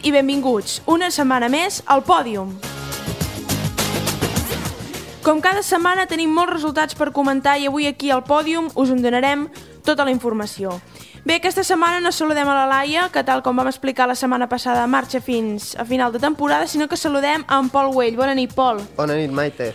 i benvinguts una setmana més al Pòdium. Com cada setmana tenim molts resultats per comentar i avui aquí al Pòdium us en donarem tota la informació. Bé, aquesta setmana no saludem a la Laia, que tal com vam explicar la setmana passada marxa fins a final de temporada, sinó que saludem a en Pol Güell. Bona nit, Pol. Bona nit, Maite.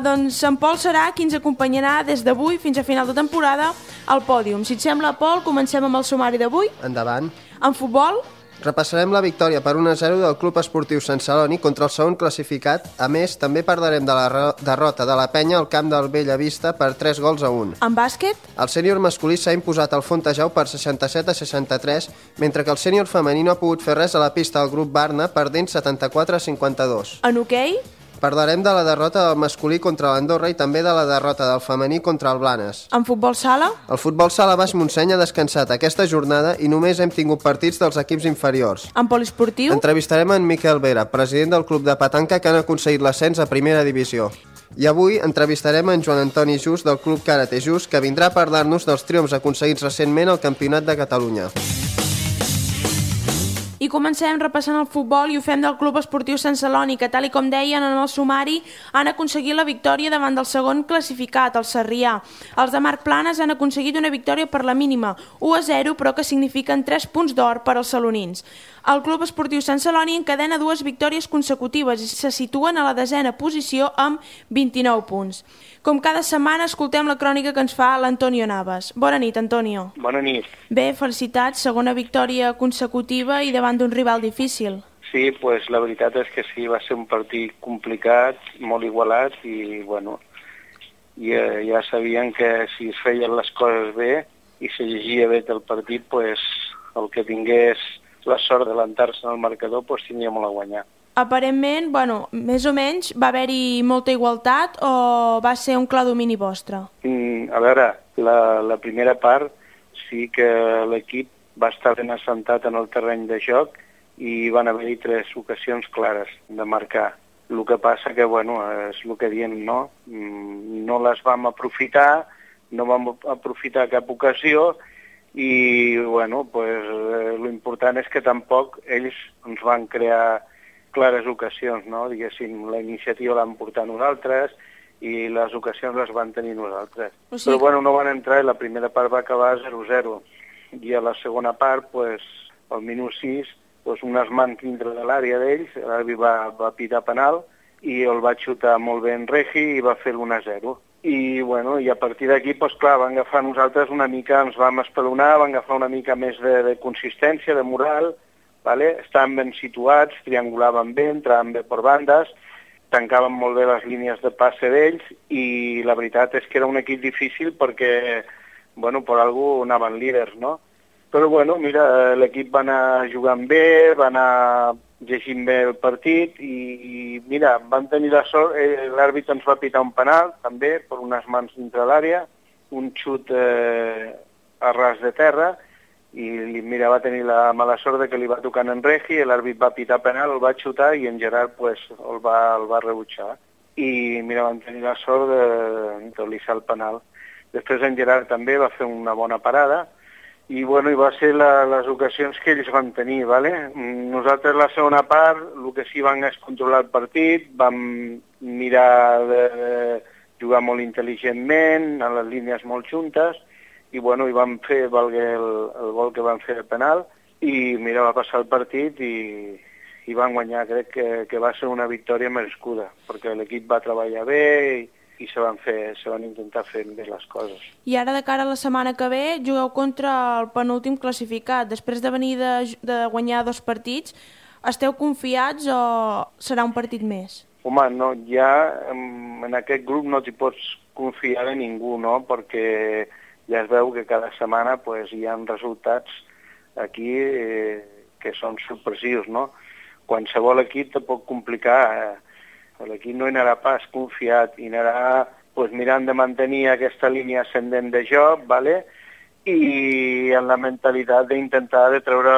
Doncs en Pol serà qui ens acompanyarà des d'avui fins a final de temporada al Pòdium. Si et sembla, Pol, comencem amb el sumari d'avui. Endavant. En futbol, repassarem la victòria per 1-0 del Club Esportiu Sant Celoni contra el segon classificat. A més, també parlarem de la derrota de la Penya al camp del Bellavista per 3-1. en bàsquet, El sènior masculí s'ha imposat al Fontejau per 67-63, mentre que el sènior femení no ha pogut fer res a la pista del grup Barna, perdent 74-52. en hoquei, Parlarem de la derrota del masculí contra l'Andorra i també de la derrota del femení contra el Blanes. en futbol sala, El futbol sala Baix Montseny ha descansat aquesta jornada i només hem tingut partits dels equips inferiors. en poliesportiu, Entrevistarem en Miquel Vera, president del club de petanca que han aconseguit l'ascens a primera divisió. I avui entrevistarem en Joan Antoni Just del club Karate Just, que vindrà a parlar-nos dels triomfs aconseguits recentment al Campionat de Catalunya. I comencem repassant el futbol i ho fem del Club Esportiu Sant Celoni, que tal i com deien en el sumari han aconseguit la victòria davant del segon classificat, el Sarrià. Els de Marc Planes han aconseguit una victòria per la mínima, 1-0, però que signifiquen 3 punts d'or per als salonins. El Club Esportiu Sant Celoni encadena 2 victòries consecutives i se situen a la 10ª posició amb 29 punts. Com cada setmana escoltem la crònica que ens fa l'Antonio Navas. Bona nit, Antonio. Bona nit. Bé, felicitats, segona victòria consecutiva i davant d'un rival difícil. Sí, pues la veritat és que sí, va ser un partit complicat, molt igualat i, bueno, ja sabien que si es feien les coses bé i se llegia bé el partit, pues el que tingués la sort d'adelantar-se en el marcador, pues tindria molt a guanyar. Aparentment, bueno, més o menys, va haver-hi molta igualtat o va ser un clar domini vostre? A veure, la primera part sí que l'equip va estar ben assentat en el terreny de joc i van haver-hi 3 ocasions clares de marcar. El que passa que, bueno, és el que diem, no? No les vam aprofitar, no vam aprofitar cap ocasió i, bueno, pues, l'important és que tampoc ells ens van crear clares ocasions, no? Diguéssim, la iniciativa l'han portat nosaltres i les ocasions les van tenir nosaltres. O sigui... Però, bueno, no van entrar i la primera part va acabar 0-0. I a la segona part, pues, al minut 6, pues, unes mans dintre de l'àrea d'ells, l'àrbitre va pitar penal i el va xutar molt bé en Regi i va fer l'1-0. I, bueno, i a partir d'aquí, pues, clar, van agafar nosaltres una mica, ens vam espelonar, van agafar una mica més de consistència, de moral, vale? Estaven ben situats, triangulaven bé, entraven bé per bandes, tancaven molt bé les línies de passe d'ells i la veritat és que era un equip difícil perquè, bueno, per algú anaven líders, no? Però, bueno, mira, l'equip va anar jugant bé, va anar llegint bé el partit i mira, van tenir la sort, l'àrbitre ens va pitar un penal, també, per unes mans dintre l'àrea, un xut a ras de terra, i mira, va tenir la mala sort de que li va tocar en Regi, l'àrbit va pitar penal, el va xutar i en Gerard pues, el va rebutjar. I mira, van tenir la sort de lissar el penal. Després en Gerard també va fer una bona parada i, bueno, i va ser les ocasions que ells van tenir, ¿vale? Nosaltres la segona part, el que sí vam és controlar el partit, vam mirar de jugar molt intel·ligentment, a les línies molt juntes, i, bueno, i vam fer valguer el gol que van fer de penal i, mira, va passar el partit i van guanyar. Crec que va ser una victòria merescuda, perquè l'equip va treballar bé i se van intentar fer bé les coses. I ara, de cara a la setmana que ve, jugueu contra el penúltim classificat. Després de venir de guanyar 2 partits, esteu confiats o serà un partit més? Home, no, ja en aquest grup no t'hi pots confiar de ningú, no?, perquè ja es veu que cada setmana pues, hi ha resultats aquí que són sorpresius, no? Qualsevol equip te pot complicar. L'equip no hi anarà pas confiat, i anarà pues, mirant de mantenir aquesta línia ascendent de joc, ¿vale? I en la mentalitat d'intentar de treure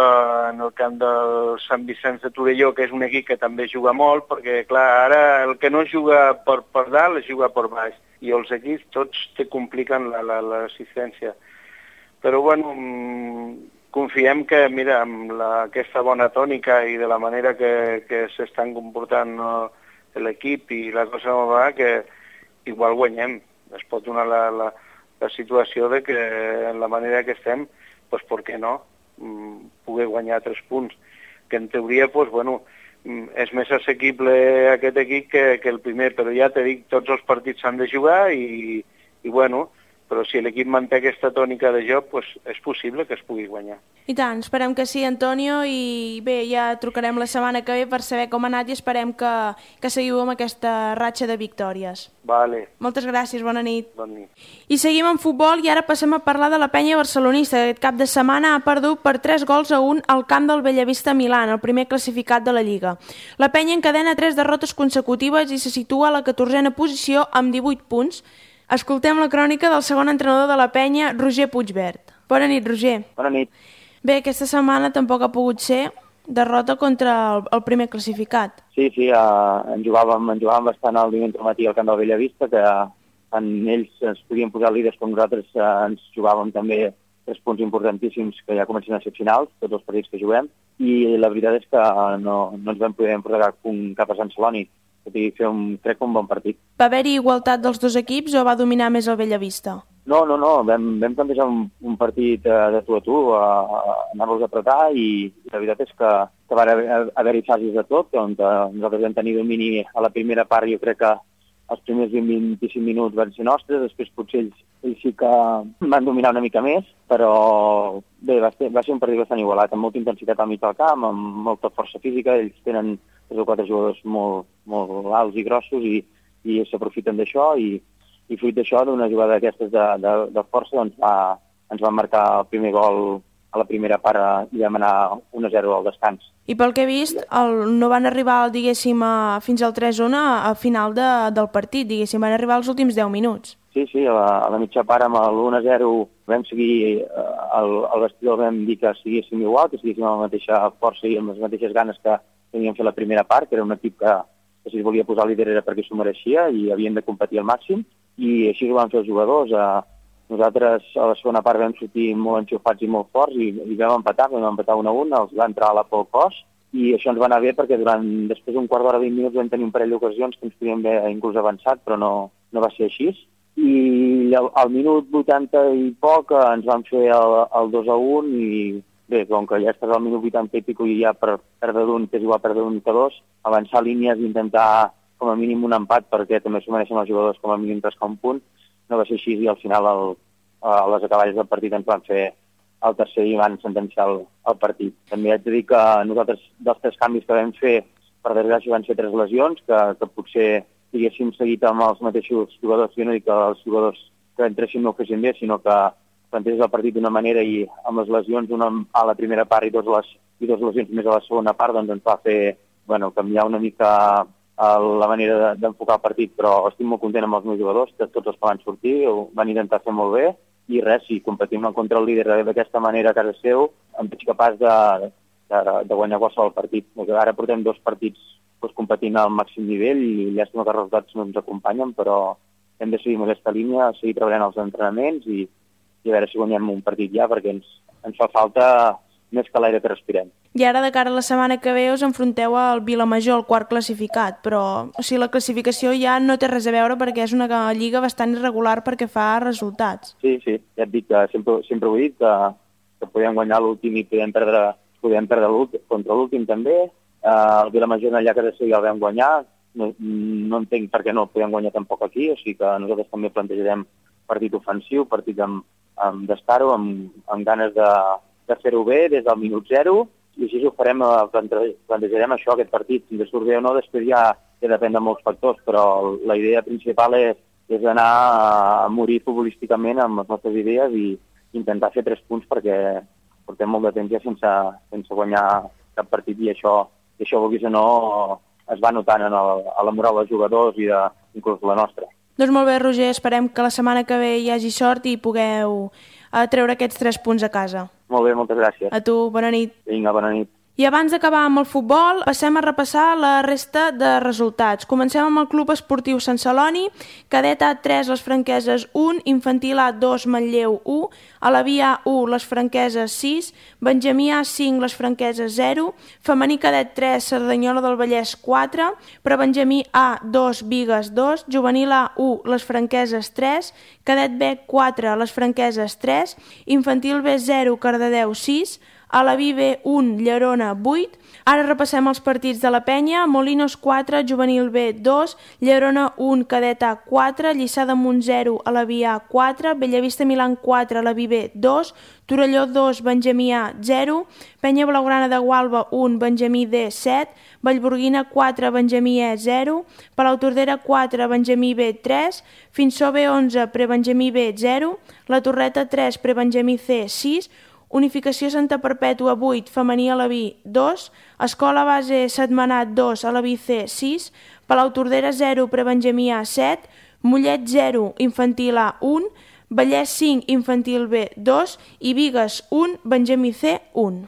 en el camp del Sant Vicenç de Torelló, que és un equip que també juga molt, perquè clar, ara el que no juga per dalt es juga per baix, i els equips tots te compliquen l'assistència. Però bueno, confiem que, mira, amb aquesta bona tònica i de la manera que s'estan comportant l'equip i la cosa no va, que igual guanyem. Es pot donar la situació de que en la manera que estem, doncs per què no, poder guanyar 3 punts, que en teoria, doncs, bueno, és més assequible aquest equip que el primer, però ja t'he dit, tots els partits s'han de jugar i bueno, però si l'equip manté aquesta tònica de joc, doncs és possible que es pugui guanyar. I tant, esperem que sí, Antonio, i bé, ja trucarem la setmana que ve per saber com ha anat i esperem que seguiu amb aquesta ratxa de victòries. Vale. Moltes gràcies, bona nit. Bona nit. I seguim en futbol i ara passem a parlar de la penya barcelonista. Aquest cap de setmana ha perdut per 3-1 al camp del Bellavista Milan, el primer classificat de la Lliga. La penya encadena 3 derrotes consecutives i se situa a la 14a posició amb 18 punts. Escoltem la crònica del segon entrenador de la penya, Roger Puigvert. Bona nit, Roger. Bona nit. Bé, aquesta setmana tampoc ha pogut ser derrota contra el primer classificat. Sí, en jugàvem bastant al diumenge matí al camp del Bellavista, que tant ells ens podien posar líders com nosaltres ens jugàvem també 3 punts importantíssims que ja comencen a ser finals, tots els partits que juguem, i la veritat és que no ens vam poder portar cap a Sant Celoni, tot i fer crec un bon partit. Va haver-hi igualtat dels dos equips o va dominar més el Bellavista? No, vam plantejar un partit de tu a tu, anar-los a apretar, i la veritat és que va haver-hi fases de tot, on nosaltres vam tenir domini a la primera part. Jo crec que els primers 20-25 minuts van ser nostres, després potser ells sí que van dominar una mica més, però bé, va ser un partit bastant igualat, amb molta intensitat al mig del camp, amb molta força física. Ells tenen 3 o 4 jugadors molt alts i grossos i s'aprofiten d'això, i fruit d'això, d'una jugada d'aquestes de força, doncs ens van marcar el primer gol a la primera part i vam anar 1-0 al descans. I pel que he vist, no van arribar, diguéssim, fins al 3-1 a final del partit, diguéssim, van arribar als últims 10 minuts. Sí, a la mitja part amb l'1-0 vam seguir, al vestidor vam dir que seguíssim igual, que seguíssim amb la mateixa força i amb les mateixes ganes que havíem fet la primera part, que era un equip que si es volia posar líder era perquè s'ho mereixia i havien de competir al màxim, i així ho van fer els jugadors. Nosaltres a la segona part vam sortir molt enxufats i molt forts i vam empatar 1-1, els va entrar a la por al cos, i això ens va anar bé perquè després d'un quart d'hora, 20 minuts, vam tenir un parell d'ocasions que ens podíem haver inclús avançat, però no va ser així. I al minut 80 i poc ens van fer el 2-1 i bé, com que ja estàs al minut 80 i pico i ja per perdre d'un, que és igual perdre d'un que dos, avançar línies i intentar com a mínim un empat, perquè també s'ho mereixen els jugadors com a mínim rascar un punt, no va ser així, i al final a les acaballes del partit ens van fer el tercer i van sentenciar el partit. També haig de dir que nosaltres, dels 3 canvis que vam fer, per desgràcia van ser 3 lesions, que potser haguéssim seguit amb els mateixos jugadors. Jo no dic que els jugadors que entressin no ho fessin bé, sinó que planteges el partit d'una manera i amb les lesions, una a la primera part i dos lesions més a la segona part, doncs ens va fer canviar una mica la manera d'enfocar el partit, però estic molt content amb els meus jugadors, que tots els que van sortir ho van intentar fer molt bé, i res, si competim contra el líder d'aquesta manera a casa seu, em veig capaç de guanyar qualsevol partit. Ara portem 2 partits competint al màxim nivell i llàstima que els resultats no ens acompanyen, però hem de seguir amb aquesta línia, seguir treballant els entrenaments i a veure si guanyem un partit ja, perquè ens fa falta més que l'aire que respirem. I ara, de cara a la setmana que ve, us enfronteu al Vilamajor, el 4 classificat, però la classificació ja no té res a veure perquè és una lliga bastant irregular perquè fa resultats. Sí, ja et dic que sempre ho he dit, que podem guanyar l'últim i podem perdre contra l'últim també. El Vilamajor allà que ja el vam guanyar, no entenc per què no el podem guanyar tampoc aquí, o sigui que nosaltres també plantejarem partit ofensiu, partit d'estar-ho, amb ganes de fer-ho bé des del minut 0, i així ho farem, plantejarem això, aquest partit, si ens surt bé o no, després ja depèn de molts factors, però la idea principal és anar a morir futbolísticament amb les nostres idees i intentar fer 3 punts perquè portem molt de temps ja sense guanyar cap partit, i això vulguis o no, es va notant a la moral dels jugadors i inclús la nostra. Doncs molt bé, Roger, esperem que la setmana que ve hi hagi sort i pugueu treure aquests 3 punts a casa. Molt bé, moltes gràcies. A tu, bona nit. Vinga, bona nit. I abans d'acabar amb el futbol, passem a repassar la resta de resultats. Comencem amb el Club Esportiu Sant Celoni, cadet A3 les Franqueses 1, infantil A2 Manlleu 1, Alaví A1 les Franqueses 6, Benjamí A5 les Franqueses 0, femení cadet 3 Cerdanyola del Vallès 4, prebenjamí A2 Bigues 2, juvenil A1 les Franqueses 3, cadet B 4 les Franqueses 3, infantil B 0 Cardedeu 6, Alaví B1, Llerona 8. Ara repassem els partits de la penya. Molinos 4, Juvenil B 2, Llerona 1, Cadet A 4, Lliçà d'Amunt 0, Alaví A 4, Bellavista Milan 4, Alaví B 2, Torelló 2, Benjamí A 0, Penya Blaugrana de Gualba 1, Benjamí D 7, Vallburguina 4, Benjamí E 0, Palautordera 4, Benjamí B 3, Finsó B 11, Prebenjamí B 0, La Torreta 3, Prebenjamí C 6, Unificació Santa Perpètua 8, femení Alaví 2, Escola Base Setmanat 2, Alaví C 6, Palautordera 0, Prebenjamí A 7, Mollet 0, infantil A 1, Vallès 5, infantil B 2 i Bigues 1, Benjamí C 1.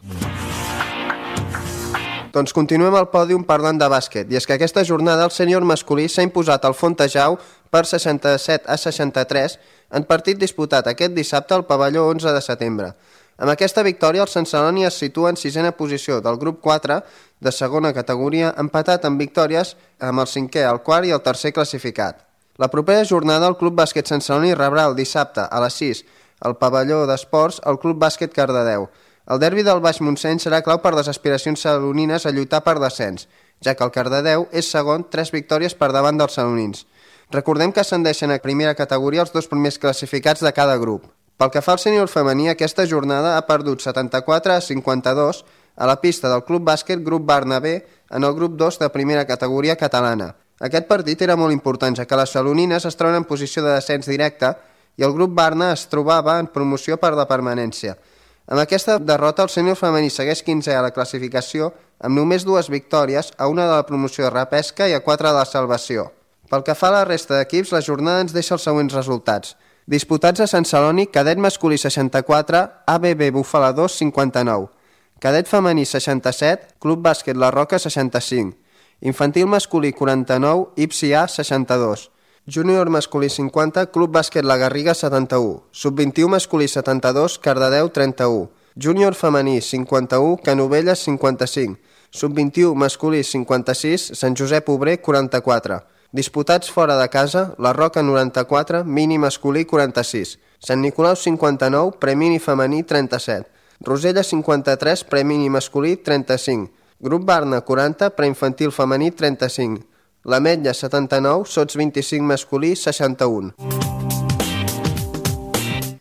Doncs continuem al pòdium parlant de bàsquet, i és que aquesta jornada el sènior masculí s'ha imposat al Fontejau per 67 a 63 en partit disputat aquest dissabte al pavelló 11 de setembre. Amb aquesta victòria, el Sant Celoni es situa en sisena posició del grup 4 de segona categoria, empatat amb victòries amb el cinquè, el quart i el tercer classificat. La propera jornada el Club Bàsquet Sant Celoni rebrà el dissabte a les 6 al pavelló d'esports el Club Bàsquet Cardedeu. El derbi del Baix Montseny serà clau per les aspiracions celonines a lluitar per descens, ja que el Cardedeu és segon, 3 victòries per davant dels celonins. Recordem que ascendeixen a primera categoria els 2 primers classificats de cada grup. Pel que fa al sènior femení, aquesta jornada ha perdut 74 a 52 a la pista del Club Bàsquet Grup Barna B en el grup 2 de primera categoria catalana. Aquest partit era molt important, ja que les celonines es troben en posició de descens directe i el grup Barna es trobava en promoció per la permanència. Amb aquesta derrota, el sènior femení segueix 15è a la classificació amb només 2 victòries, a una de la promoció de repesca i a 4 de la salvació. Pel que fa a la resta d'equips, la jornada ens deixa els següents resultats. Disputats a Sant Celoni, cadet masculí 64, ABB Bufala 2 59, cadet femení 67, Club Bàsquet La Roca 65, infantil masculí 49, IPSI A 62, júnior masculí 50, Club Bàsquet La Garriga 71, sub-21 masculí 72, Cardedeu 31, júnior femení 51, Canovelles 55, sub-21 masculí 56, Sant Josep Obrer 44, disputats fora de casa, La Roca 94, mini masculí 46, Sant Nicolau 59, premini femení 37, Rosella 53, premini masculí 35, Grup Barna 40, preinfantil femení 35, l'Ametlla 79, sots 25 masculí 61.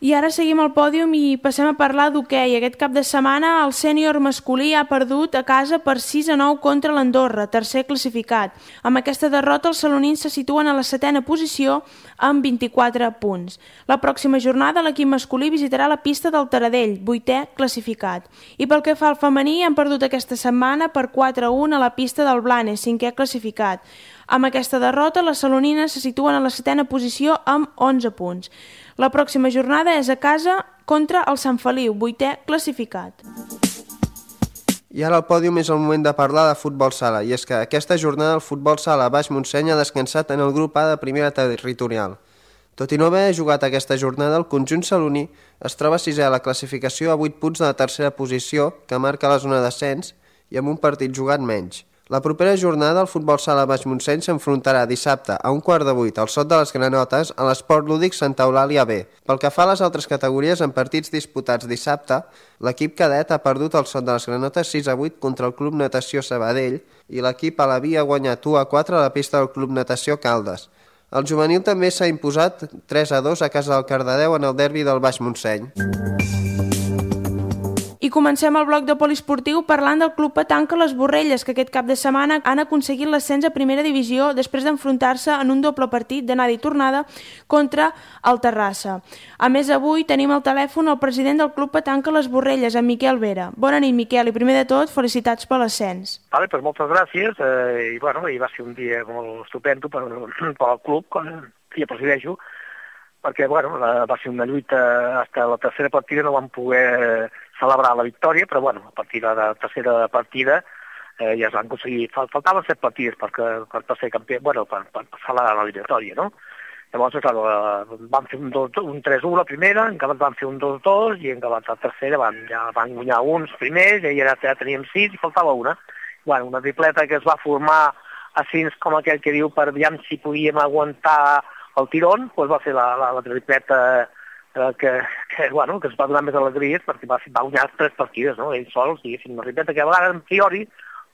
I ara seguim al pòdium i passem a parlar d'hoquei. Aquest cap de setmana el sènior masculí ha perdut a casa per 6-9 contra l'Andorra, tercer classificat. Amb aquesta derrota els salonins se situen a la 7a posició amb 24 punts. La pròxima jornada l'equip masculí visitarà la pista del Taradell, 8è classificat. I pel que fa al femení, han perdut aquesta setmana per 4-1 a la pista del Blanes, 5è classificat. Amb aquesta derrota, les salonines se situen a la 7a posició amb 11 punts. La pròxima jornada és a casa contra el Sant Feliu, 8è classificat. I ara al pòdium és el moment de parlar de futbol sala, i és que aquesta jornada el futbol sala Baix Montseny ha descansat en el grup A de primera territorial. Tot i no haver jugat aquesta jornada, el conjunt saloní es troba 6è a la classificació a 8 punts de la tercera posició, que marca la zona d'ascens, i amb un partit jugat menys. La propera jornada el futbol sala Baix Montseny s'enfrontarà dissabte a 7:15 al Sot de les Granotes a l'Esport Lúdic Santa Eulàlia B. Pel que fa a les altres categories, en partits disputats dissabte, l'equip cadet ha perdut al Sot de les Granotes 6-8 contra el Club Natació Sabadell i l'equip Alaví ha guanyat 1-4 a la pista del Club Natació Caldes. El juvenil també s'ha imposat 3-2 a casa del Cardedeu en el derbi del Baix Montseny. I comencem el bloc de poliesportiu parlant del Club Petanca Les Borrelles, que aquest cap de setmana han aconseguit l'ascens a primera divisió després d'enfrontar-se en un doble partit d'anada i tornada contra el Terrassa. A més, avui tenim al telèfon el president del Club Petanca Les Borrelles, en Miquel Vera. Bona nit, Miquel, i primer de tot, felicitats per l'ascens. Vale, pues moltes gràcies, i va ser un dia molt estupendo pel club, que jo presideixo, perquè va ser una lluita, fins a la tercera partida no vam poder celebrar la victòria, però a partir de la tercera partida ja es van aconseguir, faltaven 7 partides per ser campió, per passar la eliminatòria, no? Llavors, van fer un 3-1 la primera, en acabat van fer un 2-2, i en acabat la tercera ja van guanyar uns primers, i ja teníem 6 i faltava una. Una tripleta que es va formar així com aquell que diu per veure si podíem aguantar el tirón, doncs va ser la tripleta que es va donar més alegries, perquè va guanyar 3 partides, no? Ells sols, diguéssim, una tripleta que a vegades, en priori,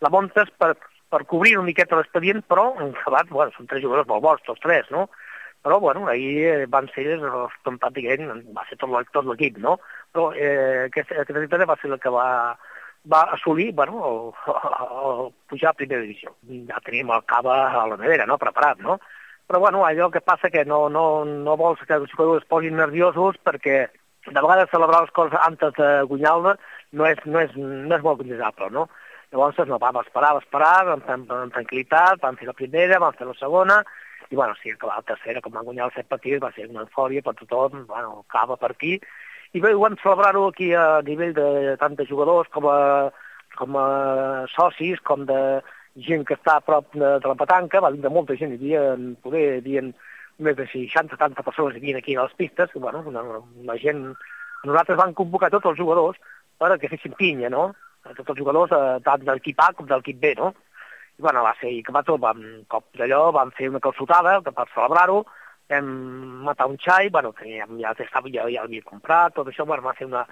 la muntes per cobrir una miqueta l'expedient, però en acabat, són 3 jugadors molt bons, tots 3, no? Però, ahir van ser pràcticament, va ser tot l'equip, no? Però aquesta tripleta va ser la que va assolir, pujar a primera divisió. Ja teníem el Cava a la nevera, no?, preparat, no? Però, allò que passa que no vols que els jugadors es posin nerviosos perquè de vegades celebrar les coses antes de guanyar-la no és molt desitjable, no? Llavors, vam esperar amb tranquil·litat, vam fer la primera, vam fer la segona, i, sí, que la tercera, com van guanyar els 7 partits, va ser una eufòria per tothom, Cava per aquí, i bé, ho vam celebrar-ho aquí a nivell de tant de jugadors com a socis, com de gent que està a prop de la petanca, va vindre molta gent, hi havia més de 60-70 persones que havien aquí a les pistes, la gent, nosaltres vam convocar tots els jugadors perquè fessin pinya, no? Tots els jugadors, tant de l'equip A com de l'equip B, no? I va ser, i que un cop d'allò, vam fer una calçotada per celebrar-ho, vam matar un xai, ja l'havia comprat, tot això, va ser una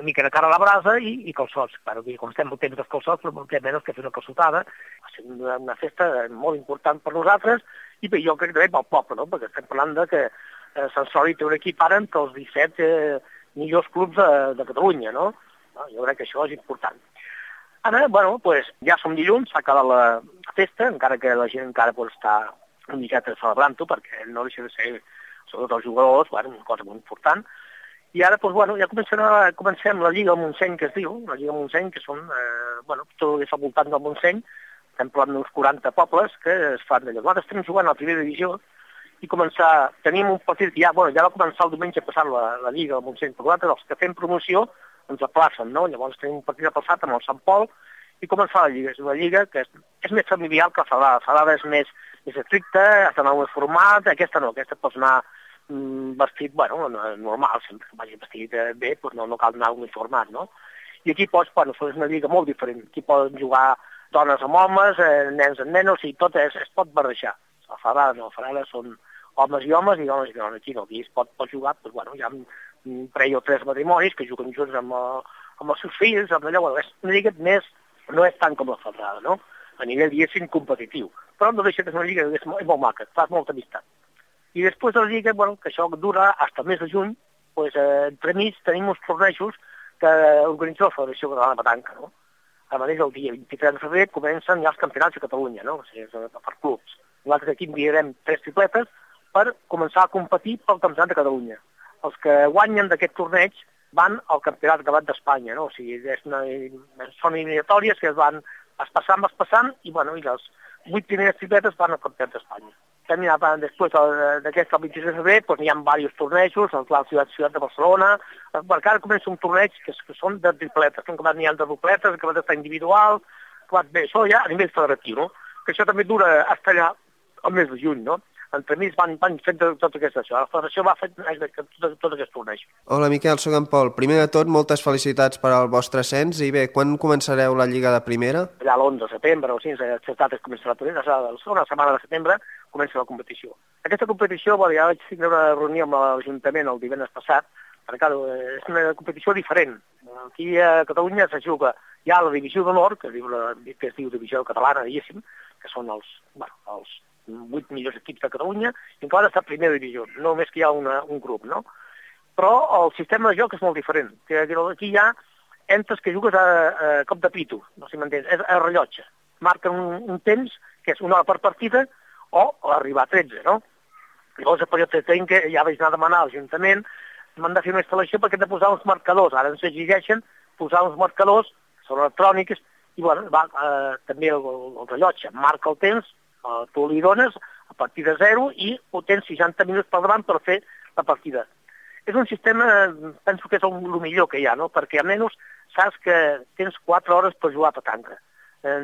mica de cara a la brasa i calçots. Com estem molt temps dels calçots, però molt menys que fer una calçotada. Va ser una festa molt important per nosaltres i jo crec que també pel poble, no? Perquè estem parlant que Sant Celoni té un equip ara entre els 17 millors clubs de Catalunya, no? Jo crec que això és important. Ara, ja som dilluns, s'ha acabat la festa, encara que la gent encara pot estar una miqueta celebrant-ho, perquè no deixa de ser, sobretot els jugadors, una cosa molt important. I ara, ja comencem la Lliga del Montseny, que es diu, la Lliga del Montseny, que són, tot és al voltant del Montseny, estem parlant d'uns 40 pobles que es fan d'allò. Nosaltres estem jugant a la primera divisió i tenim un partit que ja va començar el diumenge passat la Lliga del Montseny, però nosaltres, els que fem promoció, ens aplacen, no? Llavors tenim un partit aplaçat amb el Sant Pol i començar la Lliga. És una Lliga que és més familiar que la Salada. La Salada és més estricta, has d'anar més format, aquesta no, aquesta pots anar vestit, normal, sempre que vagi vestit bé, no cal anar uniformat, no? I aquí és una lliga molt diferent. Aquí poden jugar dones amb homes, nens amb nenes, i tot es pot barrejar. La Salada no, la Salada són homes i homes i dones i dones. Aquí no, aquí es pot jugar, hi ha un parell o 3 matrimonis que juguen junts amb els seus fills, amb allò, és una lliga més, no és tant com la Salada, no? A nivell, diguéssim, competitiu. Però no deixa de ser una lliga que és molt maca, fas molta amistat. I després de la lliga, que això dura fins al mes de juny, entremig tenim uns tornejos que organitza la Federació Catalana de Petanca, no? A mateix, el dia 23 de febrer comencen ja els campionats de Catalunya, no? O sigui, per clubs. Nosaltres aquí enviarem 3 tripletes per començar a competir pel Campionat de Catalunya. Els que guanyen d'aquest torneig van al Campionat d'Espanya, no? O sigui, són eliminatòries que es passant, i les 8 primeres tripletes van al Campionat d'Espanya. Després d'aquest, el 26 de febrer, hi ha diversos tornejos, la ciutat de Barcelona, perquè ara comença un torneig que són de tripletes, n'hi ha de dupletes, que va estar individual, bé, això ja a nivell federatiu, no? Que això també dura fins allà al mes de juny, no? Entremig van fent tot aquest això. La Federació va fer tot aquest torneig. Hola Miquel, soc en Pol. Primer de tot, moltes felicitats per al vostre ascens i bé, quan començareu la Lliga de Primera? Allà l'11 de setembre o 5 de dates comença la primera, la segona setmana de setembre comença la competició. Aquesta competició, ja vaig tenir una reunió amb l'Ajuntament el divendres passat, perquè és una competició diferent. Aquí a Catalunya se juga ja la divisió d'honor, que es diu divisió catalana, diguéssim, que són els 8 millors equips de Catalunya, i encara està a primera divisió, només que hi ha un grup, no? Però el sistema de joc és molt diferent. Aquí hi ha entres que jugues a cop de pito, no sé si m'entens, és a rellotge. Marquen un temps, que és 1 hora per partida, o arribar a 13, no? Llavors, per això tinc que ja vaig anar a demanar a l'Ajuntament, m'han de fer una instal·lació perquè hem de posar uns marcadors. Ara ens exigeixen posar uns marcadors, són electrònics, i també el rellotge marca el temps, tu li dones a partir de 0 i ho tens 60 minuts per davant per fer la partida. És un sistema, penso que és el millor que hi ha, no? Perquè almenys saps que tens 4 hores per jugar a petanca.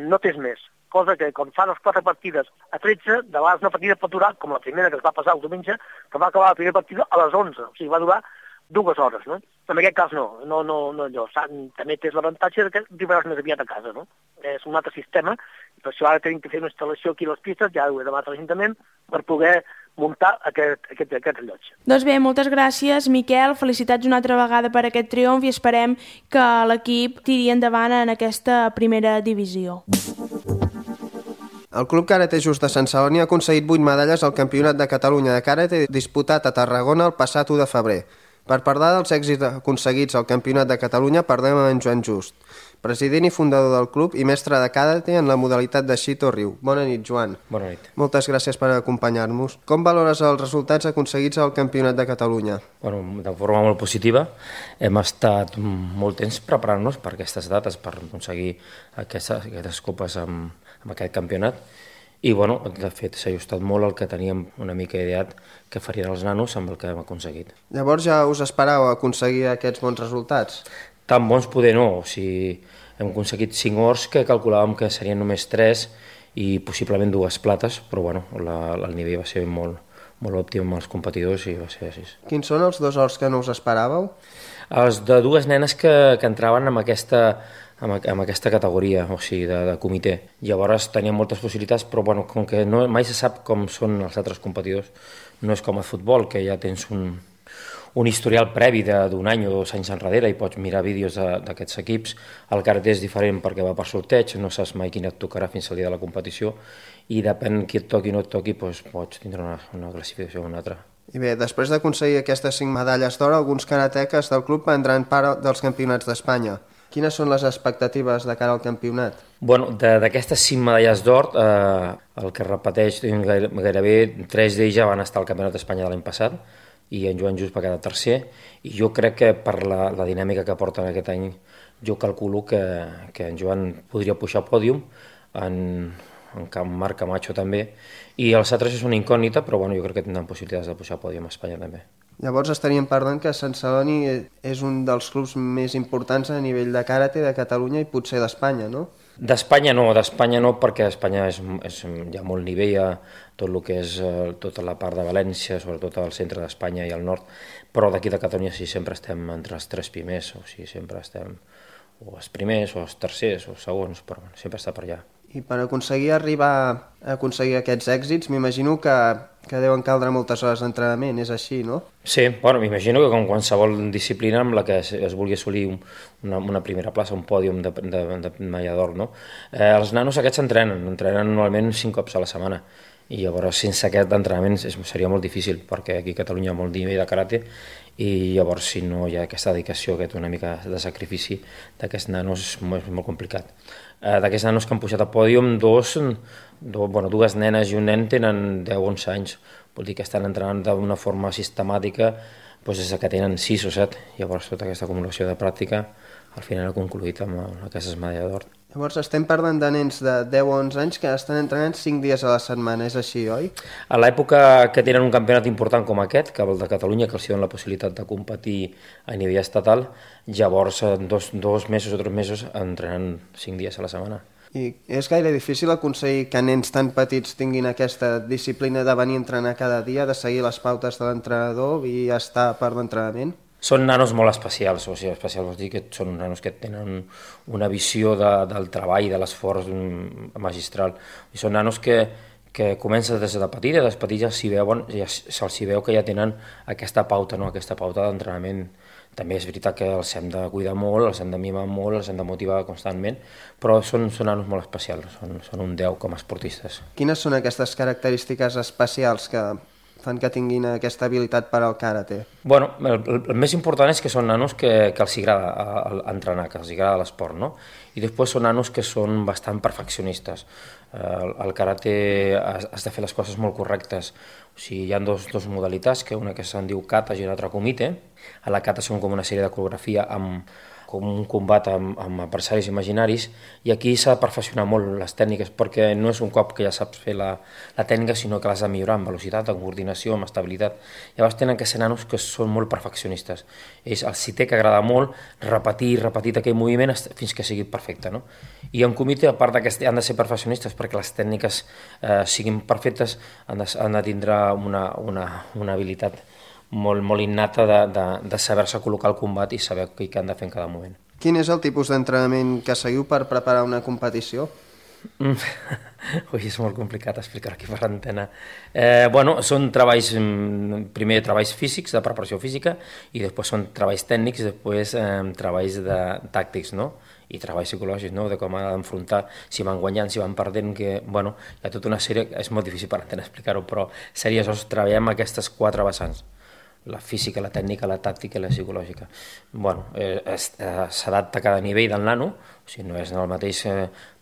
No tens més. Cosa que quan fan les 4 partides a 13, de vegades una partida pot durar, com la primera que es va passar el diumenge, que va acabar la primera partida a les 11. O sigui, va durar 2 hores, no? En aquest cas no allò. També tens l'avantatge que arribaràs més aviat a casa, no? És un altre sistema, i per això ara tenim que fer una instal·lació aquí a les pistes, ja ho he demanat a l'Ajuntament, per poder muntar aquest rellotge. Doncs bé, moltes gràcies, Miquel. Felicitats una altra vegada per aquest triomf i esperem que l'equip tiri endavant en aquesta primera divisió. El Club Karate Just de Sant Celoni ha aconseguit 8 medalles al Campionat de Catalunya de Karate disputat a Tarragona el passat 1 de febrer. Per parlar dels èxits aconseguits al Campionat de Catalunya parlem amb en Joan Just, president i fundador del club i mestre de Karate en la modalitat de Shito Ryu. Bona nit, Joan. Bona nit. Moltes gràcies per acompanyar-nos. Com valores els resultats aconseguits al Campionat de Catalunya? Bueno, de forma molt positiva. Hem estat molt temps preparant-nos per aquestes dates, per aconseguir aquestes copes amb aquest campionat. I, bueno, de fet, s'ha ajustat molt el que teníem una mica ideat que farien els nanos amb el que hem aconseguit. Llavors ja us esperàveu aconseguir aquests bons resultats? Tan bons poder no, o sigui, hem aconseguit 5 ors que calculàvem que serien només 3 i possiblement 2 plates, però bueno, el nivell va ser molt òptim amb els competidors i va ser així. Quins són els 2 ors que no us esperàveu? Els de 2 nenes que entraven amb aquesta categoria, o sigui, de comitè. Llavors tenien moltes possibilitats, però bueno, com que mai se sap com són els altres competidors, no és com a futbol, que ja tens un historial previ d'un any o 2 anys enrere i pots mirar vídeos d'aquests equips. El karate és diferent perquè va per sorteig, no saps mai quin et tocarà fins al dia de la competició i depèn qui et toqui o no et toqui, doncs pots tindre una classificació o una altra. I bé, després d'aconseguir aquestes 5 medalles d'or, alguns karateques del club prendran part dels campionats d'Espanya. Quines són les expectatives de cara al campionat? Bueno, d'aquestes 5 medalles d'or, el que repeteix, gairebé 3 d'ells ja van estar al Campionat d'Espanya de l'any passat i en Joan Just va quedar tercer, i jo crec que per la dinàmica que porten aquest any jo calculo que en Joan podria pujar al pòdium, en Marc Camacho també, i els altres és una incògnita, però bueno, jo crec que tindran possibilitats de pujar al pòdium a Espanya també. Llavors estaríem parlant que Sant Celoni és un dels clubs més importants a nivell de karate de Catalunya i potser d'Espanya, no? D'Espanya no, perquè a Espanya hi ha molt nivell a tot el que és tota la part de València, sobretot al centre d'Espanya i al nord, però d'aquí de Catalunya sí sempre estem entre els 3 primers, o sigui, sempre estem o els primers, o els tercers, o els segons, però sempre està per allà. I per arribar a aconseguir aquests èxits, m'imagino que deuen caldre moltes hores d'entrenament, és així, no? Sí, bueno, m'imagino que com qualsevol disciplina amb la que es vulgui assolir una primera plaça, un pòdium de medalla d'or, no? Els nanos aquests entrenen normalment 5 cops a la setmana, i llavors sense aquest entrenament seria molt difícil, perquè aquí a Catalunya hi ha molt nivell de karate, i llavors si no hi ha aquesta dedicació, una mica de sacrifici d'aquests nanos és molt complicat. D'aquests nanos que han pujat al pòdium, 2 nenes i un nen tenen 10-11 anys, vol dir que estan entrenant d'una forma sistemàtica des que tenen 6 o 7, llavors tota aquesta acumulació de pràctica al final ha concluït amb aquestes medalles d'or. Llavors estem parlant de nens de 10 o 11 anys que estan entrenant 5 dies a la setmana, és així, oi? A l'època que tenen un campionat important com aquest, que el de Catalunya, que els donen la possibilitat de competir a nivell estatal, llavors 2 mesos o 3 mesos entrenen 5 dies a la setmana. I és gaire difícil aconseguir que nens tan petits tinguin aquesta disciplina de venir a entrenar cada dia, de seguir les pautes de l'entrenador i estar per l'entrenament? Són nanos molt especials, o sigui, especials vol dir que són nanos que tenen una visió del treball, de l'esforç magistral. I són nanos que comencen des de petits, i des de petits ja se'ls veu que ja tenen aquesta pauta, no? Aquesta pauta d'entrenament. També és veritat que els hem de cuidar molt, els hem de mimar molt, els hem de motivar constantment, però són nanos molt especials, són un 10 com a esportistes. Quines són aquestes característiques especials que fan que tinguin aquesta habilitat per al karate? Bueno, el més important és que són nanos que els agrada entrenar, que els agrada l'esport, no? I després són nanos que són bastant perfeccionistes. El karate has de fer les coses molt correctes. O sigui, hi ha dos modalitats, que una que se'n diu kata i una altra kumite. A la kata són com una sèrie de coreografia amb com un combat amb adversaris imaginaris, i aquí s'ha de perfeccionar molt les tècniques, perquè no és un cop que ja saps fer la tècnica, sinó que l'has de millorar amb velocitat, amb coordinació, amb estabilitat. Llavors tenen que ser nanos que són molt perfeccionistes. Els té que agradar molt repetir aquell moviment fins que sigui perfecte, no? I en comitè, a part que han de ser perfeccionistes perquè les tècniques siguin perfectes, han de tindre una habilitat molt innata de saber-se col·locar al combat i saber què han de fer en cada moment. Quin és el tipus d'entrenament que seguiu per preparar una competició? Ui, és molt complicat explicar aquí per l'antena. Són primer treballs físics, de preparació física, i després són treballs tècnics, i després treballs tàctics, no? I treballs psicològics, no? De com ha d'enfrontar, si van guanyant, si van perdent, que, hi ha tota una sèrie, és molt difícil per l'antena explicar-ho, però treballem aquestes 4 vessants: la física, la tècnica, la tàctica i la psicològica. S'adapta a cada nivell del nano, o sigui, no és el mateix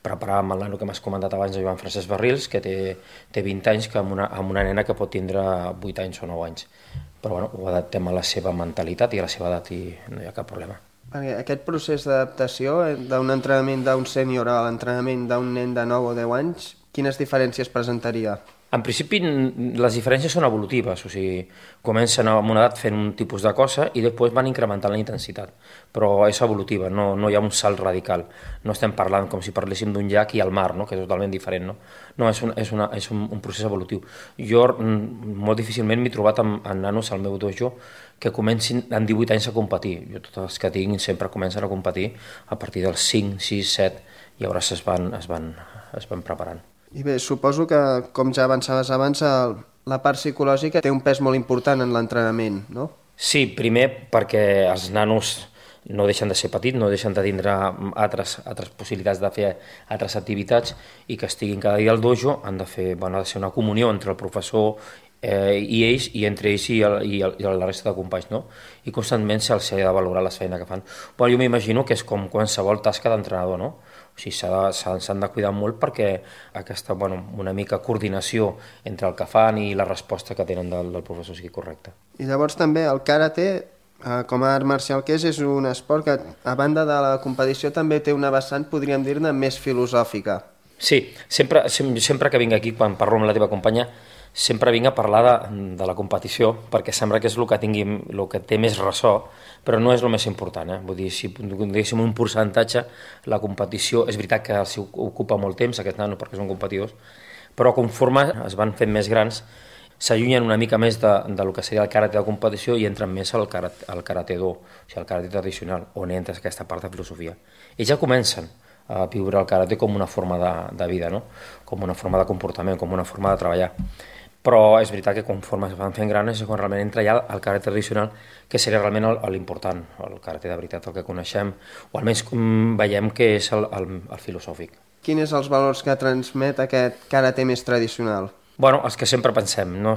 preparar amb el nano que m'has comentat abans, de Joan Francesc Barrils, que té 20 anys, que amb una nena que pot tindre 8 anys o 9 anys. Però ho adaptem a la seva mentalitat i a la seva edat i no hi ha cap problema. Perquè aquest procés d'adaptació d'un entrenament d'un sènior a l'entrenament d'un nen de 9 o 10 anys, quines diferències presentaria? En principi, les diferències són evolutives, o sigui, comencen amb una edat fent un tipus de cosa i després van incrementant la intensitat, però és evolutiva, no hi ha un salt radical. No estem parlant com si parléssim d'un llac i el mar, no? Que és totalment diferent, no? No, és un procés evolutiu. Jo molt difícilment m'he trobat amb nanos al meu dojo que comencin en 18 anys a competir. Jo tots els que tinc sempre comencen a competir a partir dels 5, 6, 7, i llavors es van preparant. I bé, suposo que, com ja avançaves abans, la part psicològica té un pes molt important en l'entrenament, no? Sí, primer perquè els nanos no deixen de ser petits, no deixen de tindre altres possibilitats de fer altres activitats, i que estiguin cada dia al dojo han de ser una comunió entre el professor i ells, i entre ells i la resta de companys, no? I constantment se'ls ha de valorar la feina que fan. Jo m'imagino que és com qualsevol tasca d'entrenador, no? O sigui, s'han de cuidar molt perquè aquesta, una mica coordinació entre el que fan i la resposta que tenen del professor sigui correcta. I llavors també el karate, com a art marcial que és un esport que, a banda de la competició, també té una vessant, podríem dir-ne, més filosòfica. Sí, sempre que vinc aquí, quan parlo amb la teva companya, sempre vinc a parlar de la competició, perquè sembla que és el que té més ressò, però no és el més important. Vull dir, si diguéssim un percentatge, la competició, és veritat que els ocupa molt temps, aquests nanos, perquè són competidors, però conforme es van fent més grans, s'allunyen una mica més del que seria el karate de competició i entren més al karate do, o sigui, al karate tradicional, on entra aquesta part de filosofia. Ells ja comencen a viure el karate com una forma de vida, no? Com una forma de comportament, com una forma de treballar. Però és veritat que conforme es van fent grans és quan realment entra ja el karate tradicional, que seria realment l'important, el karate de veritat, el que coneixem, o almenys veiem que és el filosòfic. Quins són els valors que transmet aquest karate més tradicional? Els que sempre pensem, no?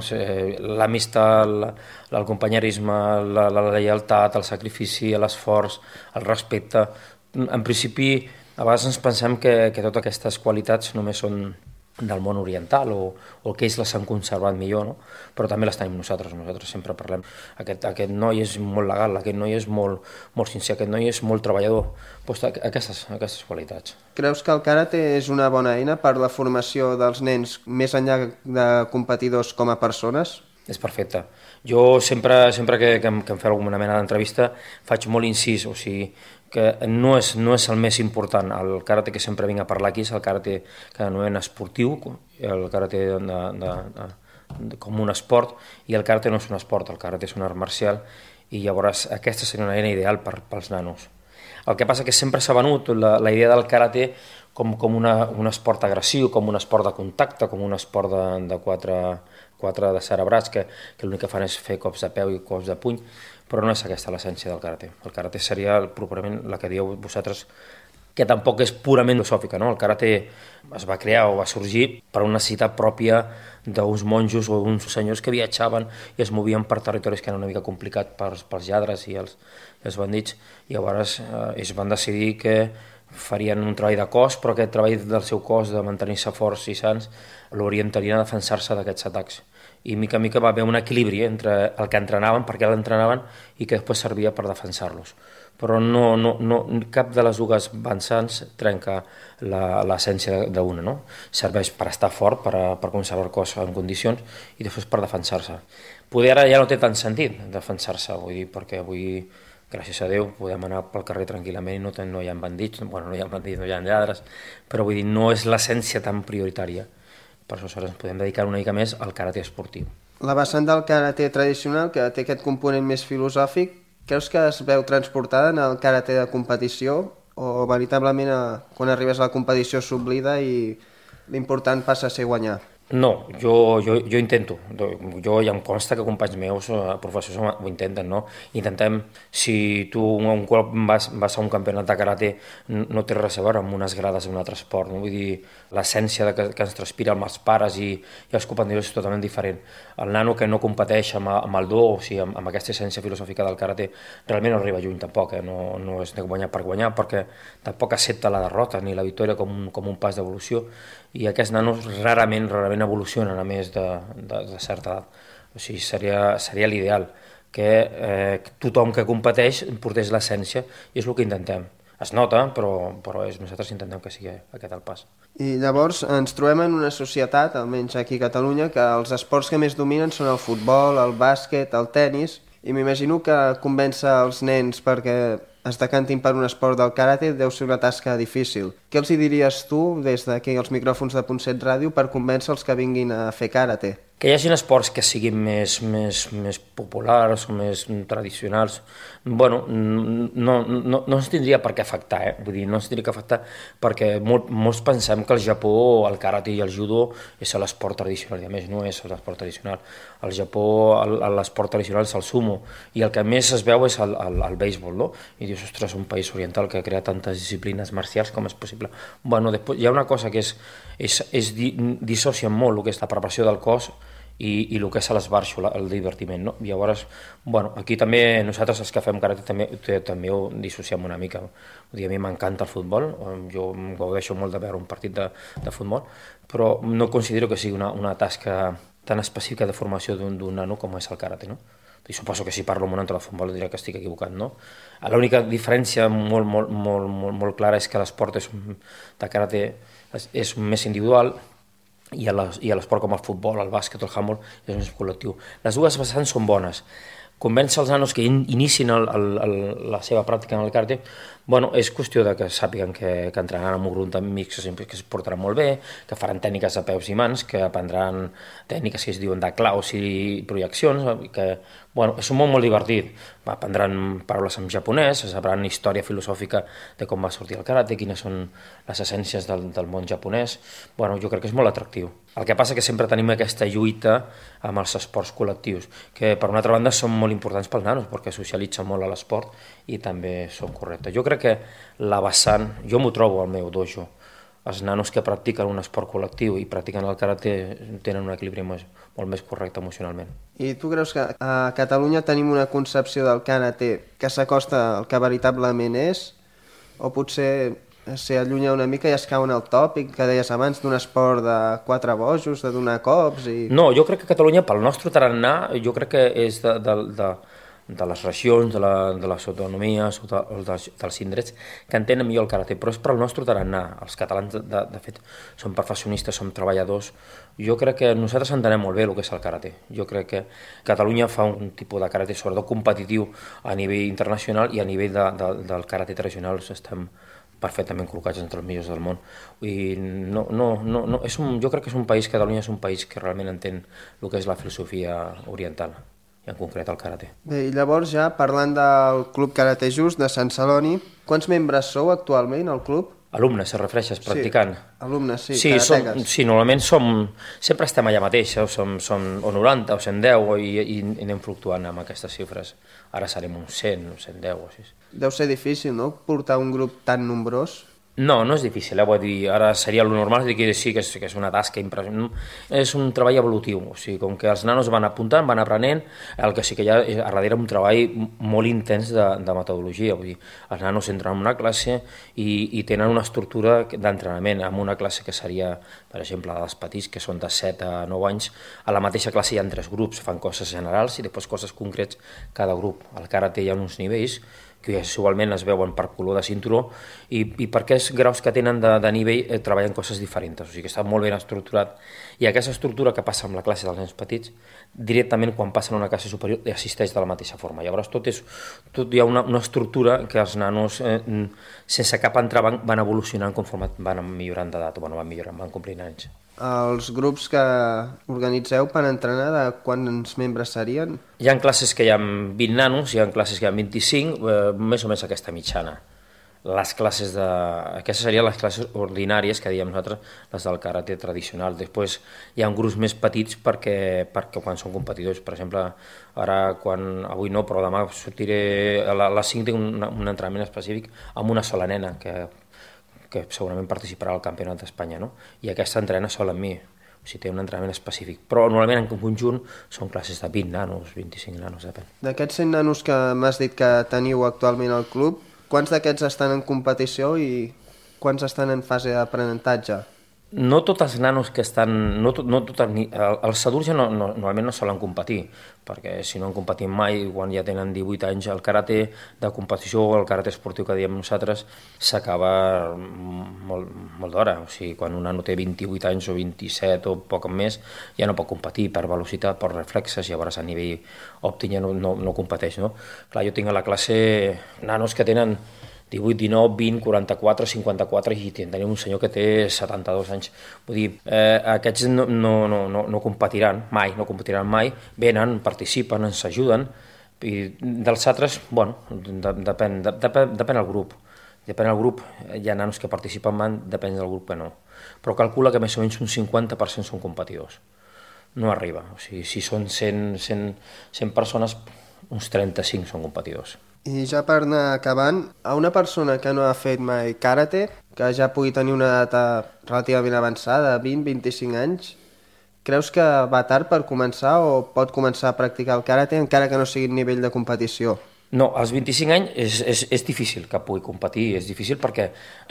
L'amistat, el companyerisme, la lleialtat, el sacrifici, l'esforç, el respecte. En principi, a vegades ens pensem que totes aquestes qualitats només són del món oriental o que ells les han conservat millor, no? Però també les tenim nosaltres sempre parlem. Aquest noi és molt legal, aquest noi és molt sincer, aquest noi és molt treballador. Aquestes qualitats. Creus que el karate és una bona eina per la formació dels nens més enllà de competidors com a persones? És perfecte. Jo sempre que em feu alguna mena d'entrevista faig molt incís, o sigui, que no és el més important. El karate que sempre vinc a parlar aquí és el karate que anomenen esportiu, el karate com un esport, i el karate no és un esport, el karate és un art marcial, i llavors aquesta seria una eina ideal pels nanos. El que passa que sempre s'ha venut la idea del karate com un esport agressiu, com un esport de contacte, com un esport de quatre descerebrats que l'únic que fan és fer cops de peu i cops de puny, però no és aquesta l'essència del karate. El karate seria properament la que dieu vosaltres, que tampoc és purament filosòfica, no? El karate es va crear o va sorgir per una necessitat pròpia d'uns monjos o uns senyors que viatjaven i es movien per territoris que eren una mica complicats pels lladres i els bandits, i llavors ells van decidir que farien un treball de cos, però aquest treball del seu cos de mantenir-se forts i sants l'orientarien a defensar-se d'aquests atacs. i mica en mica va haver un equilibri entre el que entrenaven, per què l'entrenaven, i que després servia per defensar-los. Però cap de les dues vessants trenca l'essència d'una, no? Serveix per estar fort, per conservar el cos en condicions, i després per defensar-se. Poder ara ja no té tant sentit defensar-se, vull dir, perquè avui, gràcies a Déu, podem anar pel carrer tranquil·lament i no hi ha bandits, bueno, no hi ha lladres, però vull dir, no és l'essència tan prioritària. Per això ens podem dedicar una mica més al karate esportiu. La vessant del karate tradicional, que té aquest component més filosòfic, creus que es veu transportada en el karate de competició o veritablement quan arribes a la competició s'oblida i l'important passa a ser guanyar? No, jo intento. Jo ja em consta que companys meus, professors, ho intenten, no? Intentem, si tu un cop vas a un campionat de karate, no té res a veure amb unes grades d'un altre esport, no? Vull dir, l'essència que ens transpira amb els pares i els companys és totalment diferent. El nano que no competeix amb el do, o sigui, amb aquesta essència filosòfica del karate, realment no arriba lluny tampoc, no és de guanyar per guanyar, perquè tampoc accepta la derrota ni la victòria com un pas d'evolució, i aquests nanos rarament evolucionen a més de certa edat. O sigui, seria l'ideal que tothom que competeix portés l'essència, i és el que intentem. Es nota, però nosaltres intentem que sigui aquest el pas. I llavors ens trobem en una societat, almenys aquí a Catalunya, que els esports que més dominen són el futbol, el bàsquet, el tennis, i m'imagino que convèncer els nens perquè es decantin per un esport del karate deu ser una tasca difícil. Què els hi diries tu, des d'aquí als micròfons de Punt7 Ràdio, per convèncer els que vinguin a fer karate? Que hi hagi esports que siguin més populars o més tradicionals, bueno, no ens tindria per què afectar, Vull dir, no ens tindria que afectar perquè molts pensem que el Japó, el karate i el judo és l'esport tradicional, i a més no és l'esport tradicional. Al Japó l'esport tradicional és el sumo, i el que més es veu és el béisbol, no? I dius, ostres, un país oriental que crea tantes disciplines marcials, com és possible? Bueno, després hi ha una cosa que dissocia molt el que és la preparació del cos i el que és l'esbarxo, el divertiment, no? I llavors, bueno, aquí també nosaltres els que fem karate també ho dissociem una mica. Vull dir, a mi m'encanta el futbol, jo em gaudeixo molt de veure un partit de futbol, però no considero que sigui una tasca tan específica de formació d'un nano com és el karate, no? I suposo que si parlo amb un entrenador de futbol diré que estic equivocat, no? L'única diferència molt clara és que l'esport de karate és més individual, i l'esport com el futbol, el bàsquet o el handball és més col·lectiu. Les dues vessants són bones. Convèncer els nanos que inicien la seva pràctica en el karate, bueno, és qüestió de que sàpiguen que entrenaran amb un grup d'amics que es portaran molt bé, que faran tècniques de peus i mans, que aprendran tècniques que es diuen de claus i projeccions, que bueno, és un món molt divertit. Aprendran paraules en japonès, sabran història filosòfica de com va sortir el karate, quines són les essències del món japonès. Bueno, jo crec que és molt atractiu. El que passa que sempre tenim aquesta lluita amb els esports col·lectius, que per una altra banda són molt importants pels nanos, perquè socialitzen molt a l'esport i també són correctes. Jo crec que la vessant, jo m'ho trobo al meu dojo, els nanos que practiquen un esport col·lectiu i practiquen el karate tenen un equilibri molt més correcte emocionalment. I tu creus que a Catalunya tenim una concepció del karate que s'acosta al que veritablement és? O potser s'allunya una mica i es cau en el tòpic que deies abans d'un esport de 4 bojos, de donar cops i... No, jo crec que Catalunya, pel nostre tarannà, jo crec que és de les regions, de les autonomies o dels indrets que entenen millor el karate, però és per al nostre tarannà. Els catalans, de fet, som professionistes, som treballadors. Jo crec que nosaltres entenem molt bé el que és el karate. Jo crec que Catalunya fa un tipus de karate, sobretot competitiu a nivell internacional, i a nivell del karate tradicional estem perfectament col·locats entre els millors del món. I jo crec que és un país, Catalunya és un país que realment entén el que és la filosofia oriental, i en concret el karate. Bé, i llavors ja parlant del Club Karate Just de Sant Celoni, quants membres sou actualment al club? Alumnes, se refereixes, practicant? Sí, alumnes, sí, karateques. Sí, normalment sempre estem allà mateix, som o 90 o 110 i anem fluctuant amb aquestes xifres. Ara serem uns 100 o 110 o així. Deu ser difícil, no?, portar un grup tan nombrós? No, no és difícil, vull dir, ara seria el normal dir que sí, que és una tasca impressionant, és un treball evolutiu, o sigui, com que els nanos van apuntant, van aprenent, el que sí que hi ha a darrere un treball molt intens de metodologia, vull dir, els nanos entren en una classe i tenen una estructura d'entrenament, en una classe que seria, per exemple, dels petits, que són de 7 a 9 anys, a la mateixa classe hi ha 3 grups, fan coses generals i després coses concrets cada grup. Al karate hi ha uns nivells, que usualment es veuen per color de cinturó i per aquests graus que tenen de nivell treballen coses diferents, o sigui que està molt ben estructurat i aquesta estructura que passa amb la classe dels nens petits directament quan passen a una classe superior assisteix de la mateixa forma, llavors tot hi ha una estructura que els nanos sense cap entrebanc van evolucionant conforme van millorant d'edat, van complint anys. Els grups que organitzeu per entrenar, de quants membres serien? Hi ha classes que hi ha 20 nanos, hi ha classes que hi ha 25, més o menys aquesta mitjana. Aquestes serien les classes ordinàries que diem nosaltres, les del karate tradicional. Després hi ha grups més petits perquè quan són competidors, per exemple, avui no, però demà sortiré a les 5 tinc un entrenament específic amb una sola nena que segurament participarà al Campionat d'Espanya, no? I aquesta entrena sola amb mi, o sigui, té un entrenament específic. Però normalment en conjunt són classes de 20 nanos, 25 nanos, depèn. D'aquests 100 nanos que m'has dit que teniu actualment al club, quants d'aquests estan en competició i quants estan en fase d'aprenentatge? No tots els nanos que estan... Els adults ja normalment no solen competir, perquè si no han competit mai, quan ja tenen 18 anys, el karate de competició o el karate esportiu que diem nosaltres s'acaba molt d'hora. O sigui, quan un nano té 28 anys o 27 o poc més, ja no pot competir per velocitat, per reflexes, llavors a nivell òptim ja no competeix. No? Clar, jo tinc a la classe nanos que tenen 18, 19, 20, 44, 54 i tenim un senyor que té 72 anys. Vull dir, aquests no competiran mai, venen, participen, ens ajuden, i dels altres, bueno, depèn del grup. Depèn del grup, hi ha nanos que participen, depèn del grup que no. Però calcula que més o menys un 50% són competidors. No arriba, o sigui, si són 100 persones, uns 35 són competidors. I ja per anar acabant, a una persona que no ha fet mai karate, que ja pugui tenir una edat relativament avançada, 20-25 anys, creus que va tard per començar o pot començar a practicar el karate encara que no sigui a nivell de competició? No, als 25 anys és difícil que pugui competir, és difícil perquè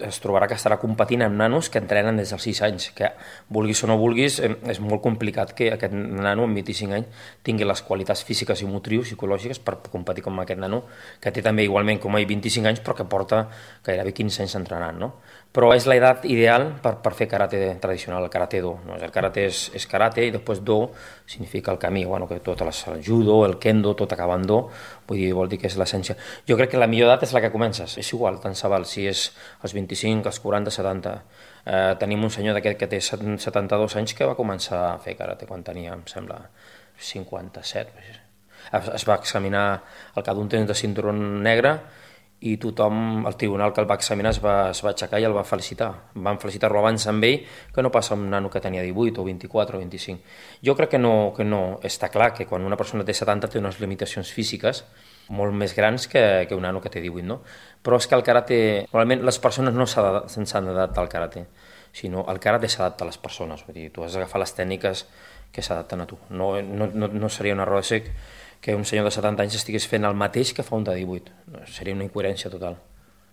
es trobarà que estarà competint amb nanos que entrenen des dels 6 anys, que vulguis o no vulguis, és molt complicat que aquest nano amb 25 anys tingui les qualitats físiques i motrius, psicològiques per competir com aquest nano, que té també igualment com a 25 anys però que porta gairebé 15 anys entrenant, no? Però és l'edat ideal per fer karate tradicional, el karate do. No? El karate és karate i després do significa el camí, bueno, que tot el judo, el kendo, tot acaba en do, vol dir que és l'essència. Jo crec que la millor edat és la que comences, és igual, tant se val, si és als 25, als 40, 70. Tenim un senyor d'aquest que té 72 anys que va començar a fer karate quan tenia, em sembla, 57. Es va examinar al cap d'un temps de cinturó negre i tothom, el tribunal que el va examinar es va aixecar i el va felicitar. Van felicitar-lo abans amb ell que no passa un nano que tenia 18 o 24 o 25. Jo crec que no està clar que quan una persona té 70 té unes limitacions físiques molt més grans que un nano que té 18, no? Però és que el karate, normalment les persones no s'han d'adaptar al karate, sinó el karate s'adapta a les persones, vull dir, tu has d'agafar les tècniques que s'adapten a tu. No seria un error de sec que un senyor de 70 anys estigués fent el mateix que fa un de 18. Seria una incoherència total.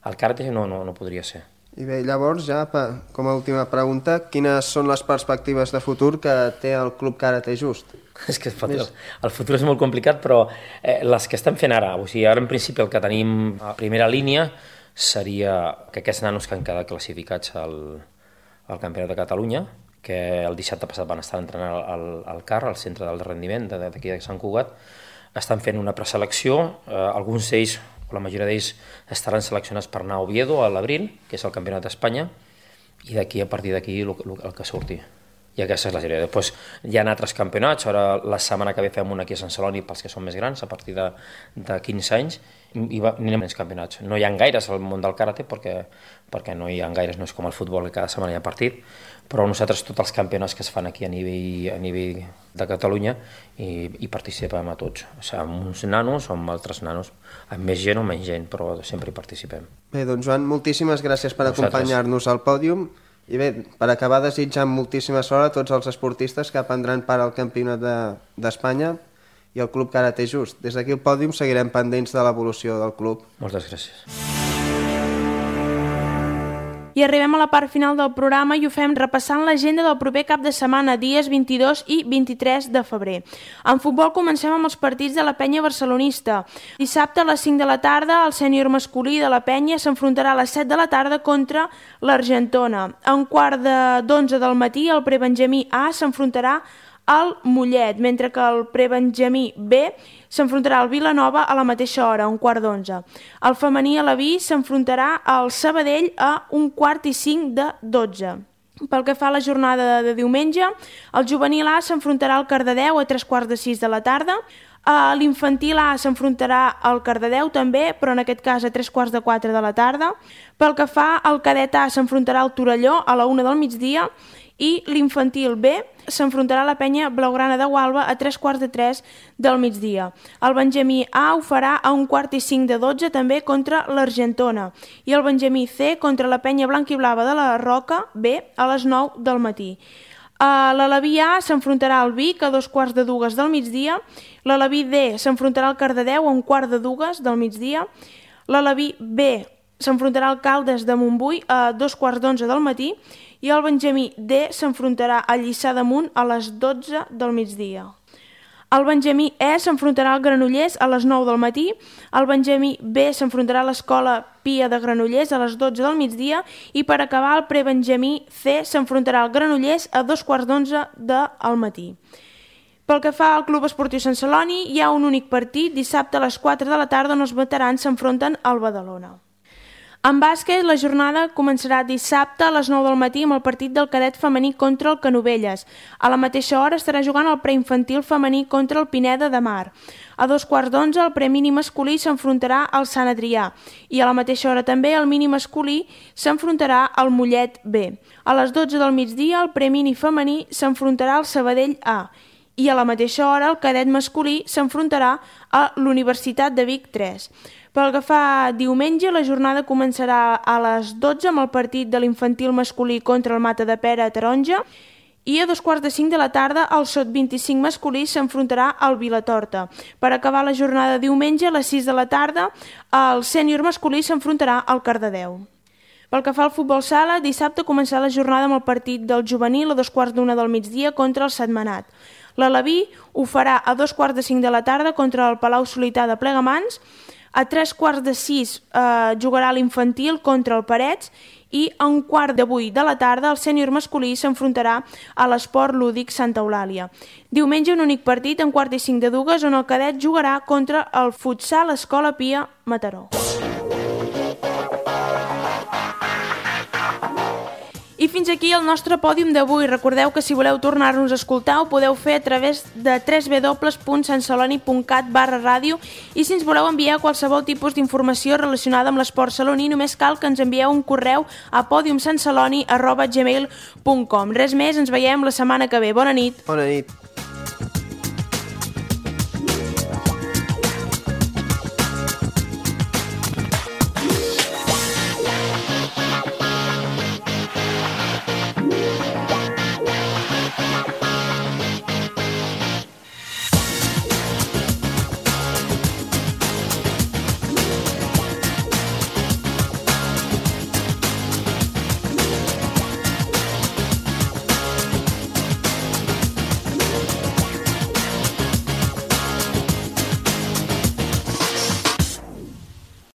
El karate no podria ser. I bé, llavors, ja com a última pregunta, quines són les perspectives de futur que té el Club Karate Just? És que el futur és molt complicat, però les que estem fent ara, o sigui, ara en principi el que tenim a primera línia seria que aquests nanos que han quedat classificats al Campionat de Catalunya, que el dissabte passat van estar entrenant al CAR, al centre d'alt rendiment d'aquí de Sant Cugat, estan fent una preselecció, alguns d'ells, o la majoria d'ells, estaran seleccionats per anar a Oviedo a l'abril, que és el Campionat d'Espanya, i a partir d'aquí el que surti. I aquesta és la sèrie. Després hi ha altres campionats, ara la setmana que ve fem un aquí a Sant Celoni pels que són més grans, a partir de 15 anys, anirem als campionats. No hi ha gaires al món del karate perquè no hi ha gaires, no és com el futbol que cada setmana hi ha partit, però nosaltres tots els campionats que es fan aquí a nivell de Catalunya hi participem a tots, o sigui, amb uns nanos o amb altres nanos, amb més gent o menys gent, però sempre hi participem. Bé, doncs Joan, moltíssimes gràcies per acompanyar-nos al pòdium i bé, per acabar desitjant moltíssima sort a tots els esportistes que prendran part al Campionat d'Espanya i el Club Karate Just. Des d'aquí al pòdium seguirem pendents de l'evolució del club. Moltes gràcies. I arribem a la part final del programa i ho fem repassant l'agenda del proper cap de setmana, dies 22 i 23 de febrer. En futbol comencem amb els partits de la Penya barcelonista. Dissabte a les 5 de la tarda, el sènior masculí de la Penya s'enfrontarà a les 7 de la tarda contra l'Argentona. A un quart d'11 del matí, el prebenjamí A s'enfrontarà al Mollet, mentre que el prebenjamí B s'enfrontarà al Vilanova a la mateixa hora, a un quart d'11. El femení alaví s'enfrontarà al Sabadell a un quart i 5 de 12. Pel que fa a la jornada de diumenge, el juvenil A s'enfrontarà al Cardedeu a 3:15 de la tarda, l'infantil A s'enfrontarà al Cardedeu també, però en aquest cas a 3:15 de la tarda. Pel que fa al cadet A s'enfrontarà al Torelló a la 1 del migdia i l'infantil B s'enfrontarà a la Penya Blaugrana de Gualba a 3:15 del migdia. El benjamí A ho farà a un quart i 5 de 12 també contra l'Argentona i el benjamí C contra la Penya Blanquiblava de la Roca B a les 9 del matí. L'alaví A s'enfrontarà al Vic a 2:15 del migdia, l'alaví D s'enfrontarà al Cardedeu a 1:15 del migdia, l'alaví B s'enfrontarà al Caldes de Montbui a 2:15 del matí i el benjamí D s'enfrontarà a Lliçà d'Amunt a les 12 del migdia. El benjamí E s'enfrontarà al Granollers a les 9 del matí, el benjamí B s'enfrontarà a l'Escola Pia de Granollers a les 12 del migdia i per acabar el prebenjamí C s'enfrontarà al Granollers a 2:15 del matí. Pel que fa al Club Esportiu Sant Celoni, hi ha un únic partit dissabte a les 4 de la tarda on els veterans s'enfronten al Badalona. En bàsquet, la jornada començarà dissabte a les 9 del matí amb el partit del cadet femení contra el Canovelles. A la mateixa hora estarà jugant el preinfantil femení contra el Pineda de Mar. A 2:15 el premini masculí s'enfrontarà al Sant Adrià i a la mateixa hora també el mini masculí s'enfrontarà al Mollet B. A les 12 del migdia el premini femení s'enfrontarà al Sabadell A i a la mateixa hora el cadet masculí s'enfrontarà a l'Universitat de Vic 3. Pel que fa a diumenge, la jornada començarà a les 12 amb el partit de l'infantil masculí contra el Mata de Pera a Taronja i a 2:15 de la tarda el sub-25 masculí s'enfrontarà al Vilatorta. Per acabar la jornada de diumenge, a les 6 de la tarda, el sènior masculí s'enfrontarà al Cardedeu. Pel que fa al futbol sala, dissabte començarà la jornada amb el partit del juvenil a 2:15 del migdia contra el Sentmenat. L'Alaví ho farà a 2:15 de la tarda contra el Palau Solità de Plegamans. A 3:15 jugarà l'infantil contra el Parets i a 7:15 de la tarda el sènior masculí s'enfrontarà a l'Esport Lúdic Santa Eulàlia. Diumenge un únic partit a 1:45 de 2 on el cadet jugarà contra el futsal Escola Pia Mataró. I fins aquí el nostre pòdium d'avui. Recordeu que si voleu tornar-nos a escoltar ho podeu fer a través de www.santceloni.cat/ràdio i si ens voleu enviar qualsevol tipus d'informació relacionada amb l'esport saloní només cal que ens envieu un correu a podiumsantceloni@gmail.com. Res més, ens veiem la setmana que ve. Bona nit. Bona nit.